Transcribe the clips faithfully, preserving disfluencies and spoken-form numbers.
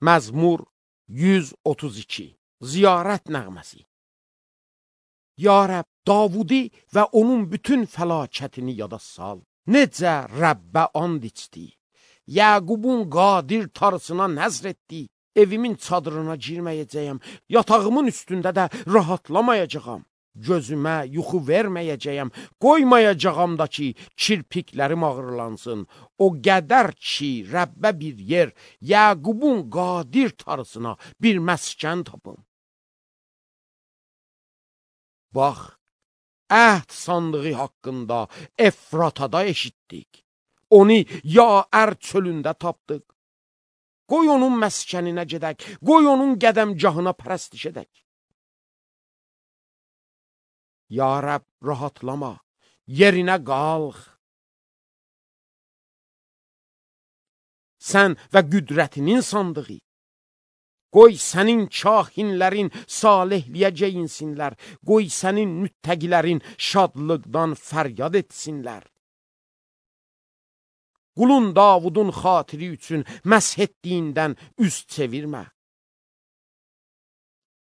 Məzmur yüz otuz iki. Ziyarət nəğməsi. Ya Rəbb, Davudi və onun bütün fəlakətini yada sal. Necə Rəbbə and içdi. Yəqubun qadir tarısına nəzr etdi. Evimin çadırına girməyəcəyəm. Yatağımın üstündə də rahatlamayacağam. Gözümə yuxu verməyəcəyəm. Qoymayacağam da ki, kirpiklərim ağırlansın. O qədər ki, Rəbbə bir yer, Yəqubun qadir tarısına bir məskən tapım. Bax, əhd sandığı haqqında Efratada eşitdik. Onu Yaər çölündə tapdıq. Qoy onun məskəninə gedək, qoy onun qədəmgahına pərəstiş edək. Ya Rəbb, rahatlama, yerinə qalx. Sən və qüdrətinin sandığı. Qoy sənin kahinlərin salihliyə geyinsinlər. Qoy sənin müttəqilərin şadlıqdan fəryad etsinlər. Qulun Davudun xatiri üçün məsh etdiyindən üz çevirmə.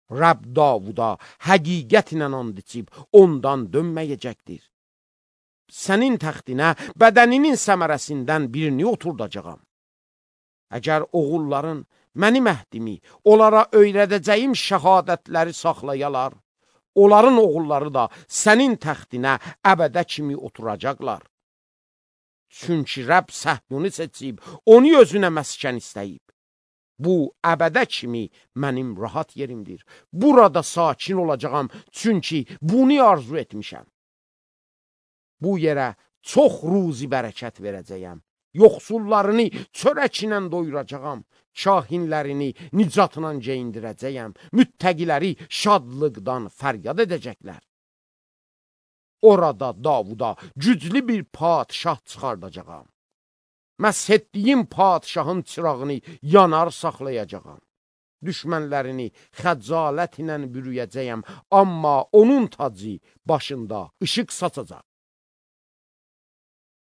Rəbb Davuda həqiqətlə and içib ondan dönməyəcəkdir. Sənin təxtinə bədəninin səmərəsindən birini oturdacağam. Əgər oğulların mənim əhdimi, onlara öyrədəcəyim şəhadətləri saxlayalar, onların oğulları da sənin təxtinə əbədə kimi oturacaqlar. Çünki Rəbb Səhyunu seçib, onu özünə məskən istəyib. Bu, əbədə kimi mənim rahat yerimdir. Burada sakin olacağam, çünki bunu arzu etmişəm. Bu yerə çox ruzi bərəkət verəcəyəm. Yoxsullarını çörəklə doyuracağam. Kahinlərini nicatla geyindirəcəyəm. Müttəqiləri şadlıqdan fəryad edəcəklər. Orada Davuda güclü bir padişah çıxardacağam. Məsh etdiyim padişahın çırağını yanar saxlayacağam. Düşmənlərini xəcalət ilə bürüyəcəyəm, amma onun tacı başında işıq saçacaq.